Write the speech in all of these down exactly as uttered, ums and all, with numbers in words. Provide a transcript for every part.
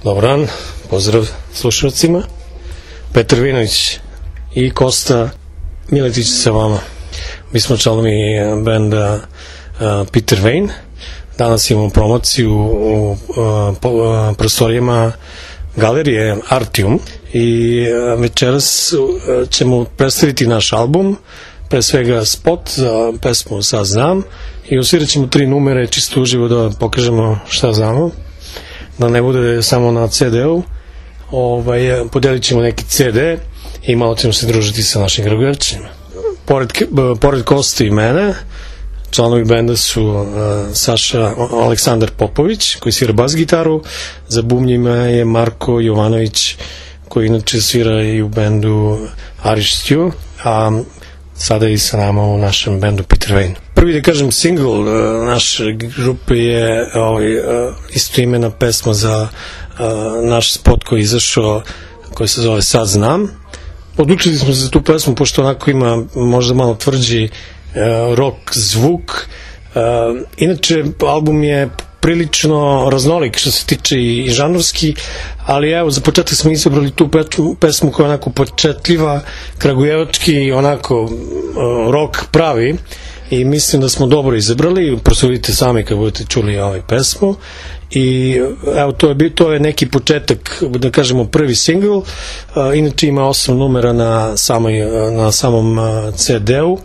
Dobar dan, pozdrav slušalcima. Petar Vinović i Kosta Miletić sa vama. Mi smo članovi benda uh, Peter Wayne. Danas imamo promociju u uh, po, uh, prostorijama galerije Artium i uh, večeras uh, ćemo predstaviti naš album, pre svega spot za pesmu Sad znam, i osvirat ćemo tri numere čisto uživo da pokažemo šta znamo, da ne bude samo na ce de-u. Ovaj, podelit ćemo neki ce de i malo ćemo se družiti sa našim Kragujevčanima. Pored, pored Koste i mene, članovi benda su uh, Saša Aleksandar Popović, koji svira bas gitaru, za bubnjima je Marko Jovanović, koji inače svira i u bendu Irish Stew, a sada i sa nama u našem bendu Peter Wayne. Prvi, da kažem, single uh, naše grupe je ovaj, uh, istoimena pesma za uh, naš spot koji je izašao, koji se zove Sad znam. Odlučili smo se za tu pesmu pošto onako ima možda malo tvrđi uh, rock zvuk. Uh, inače, album je prilično raznolik što se tiče i, i žanrovski, ali evo, za početak smo izabrali tu pesmu, pesmu koja je onako početljiva, kragujevački, onako uh, rock pravi, i mislim da smo dobro izabrali. Prosudite sami kad budete čuli ovaj pesmu. I evo, to je, to je neki početak, da kažemo prvi single. Uh, inače ima osam numera na, samoj, na samom uh, ce de-u, uh,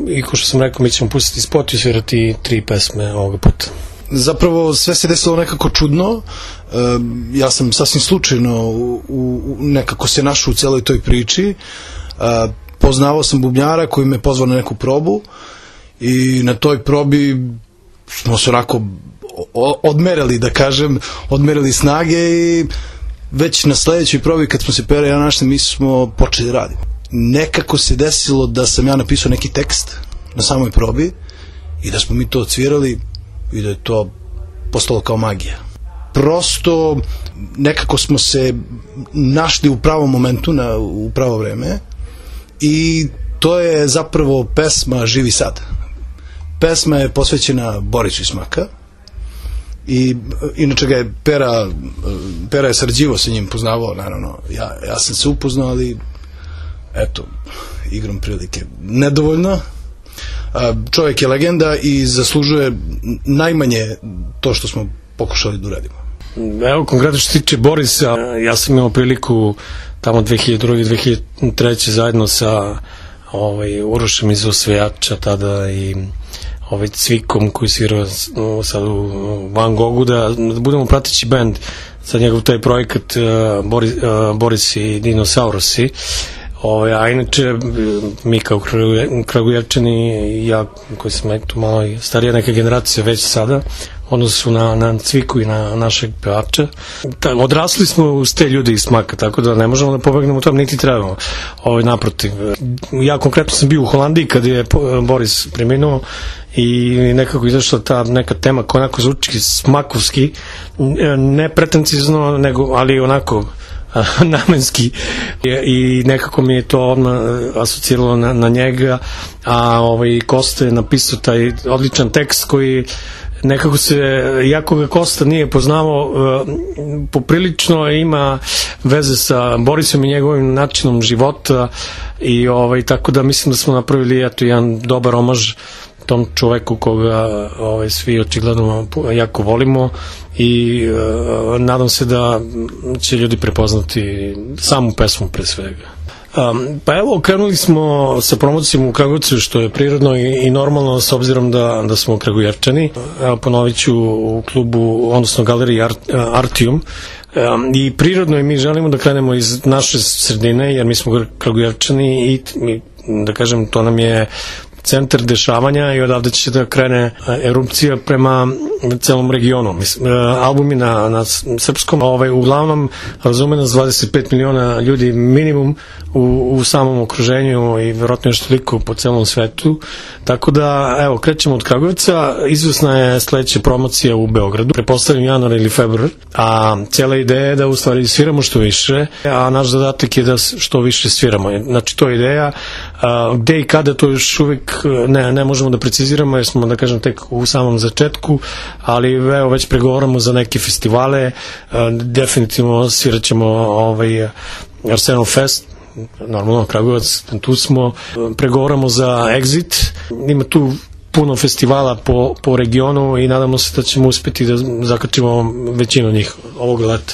i ko što sam rekao, mi ćemo pustiti spot i svirati tri pesme ovoga puta. Zapravo sve se desilo nekako čudno. E, ja sam sasvim slučajno u, u, nekako se našao u celoj toj priči. E, poznavao sam bubnjara koji me pozvao na neku probu i na toj probi smo se onako odmerili, da kažem, odmerili snage, i već na sledećoj probi kad smo se Pera i ja našli, mi smo počeli da radimo. Nekako se desilo da sam ja napisao neki tekst na samoj probi i da smo mi to odsvirali i da je to postalo kao magija. Prosto nekako smo se našli u pravom momentu, na, u pravo vreme, i to je zapravo pesma Živi sad. Pesma je posvećena Borisu iz Smaka i inače ga je Pera, Pera je sarađivao sa njim, poznavao, naravno, ja, ja sam se upoznao, ali eto, igrom prilike nedovoljno. Čovjek je legenda i zaslužuje najmanje to što smo pokušali da uradimo. Evo, konkretno što se tiče Borisa, ja sam imao priliku tamo dve hiljade druge. dve hiljade treće zajedno sa ovaj, Urošem iz Osvejača tada i ovaj, Cvikom koji svirao sad u Van Gogu, da, da budemo prateći band za njegov taj projekat uh, Boris, uh, Boris i Dinosaurusi. Ove, a inače, mi kao Kragujevčani i ja, koji sam tu malo starija neka generacija već sada, odnosu na, na Cviku i na našeg pevača, ta, odrasli smo uz te ljude iz Smaka, tako da ne možemo da pobegnemo tam, niti trebamo. Ove, naprotiv, ja konkretno sam bio u Holandiji kad je Boris preminuo i nekako izašla ta neka tema koja onako zvuči smakovski, ne pretencizno, nego, ali onako namenski, i nekako mi je to odmah asociralo na, na njega, a ovaj Kosta je napisao taj odličan tekst koji nekako se, jako ga Kosta nije poznavao, poprilično ima veze sa Borisom i njegovim načinom života, i ovaj, tako da mislim da smo napravili eto jedan dobar omaž tom čoveku koga ovaj, svi očigledno jako volimo, i uh, nadam se da će ljudi prepoznati samu pesmu pre svega. Um, pa evo, krenuli smo sa promocijom u Kragujevcu, što je prirodno i, i normalno s obzirom da, da smo Kragujevčani. Evo, ponovit ću u klubu, odnosno galeriji Art, Artium. Um, i prirodno je, mi želimo da krenemo iz naše sredine, jer mi smo Kragujevčani i, i da kažem, to nam je centar dešavanja i odavde će da krene erupcija prema celom regionu. Mislim, album je na, na srpskom, ovaj, uglavnom razume nas dvadeset pet miliona ljudi minimum u, u samom okruženju i verovatno još toliko po celom svetu, tako da evo, krećemo od Kragujevca. Izvesna je sledeća promocija u Beogradu, prepostavljam januar ili februar, a cijela ideja je da u stvari sviramo što više, a naš zadatak je da što više sviramo. Znači, to je ideja. Gde i kada to još uvijek ne, ne možemo da preciziramo, jer smo, da kažem, tek u samom začetku, ali evo već pregovaramo za neke festivale, definitivno svirat ćemo ovaj Arsenal Fest, normalno Kragujevac, tu smo, pregovaramo za Exit, ima tu puno festivala po, po regionu i nadamo se da ćemo uspeti da zakačimo većinu njih ovog leta.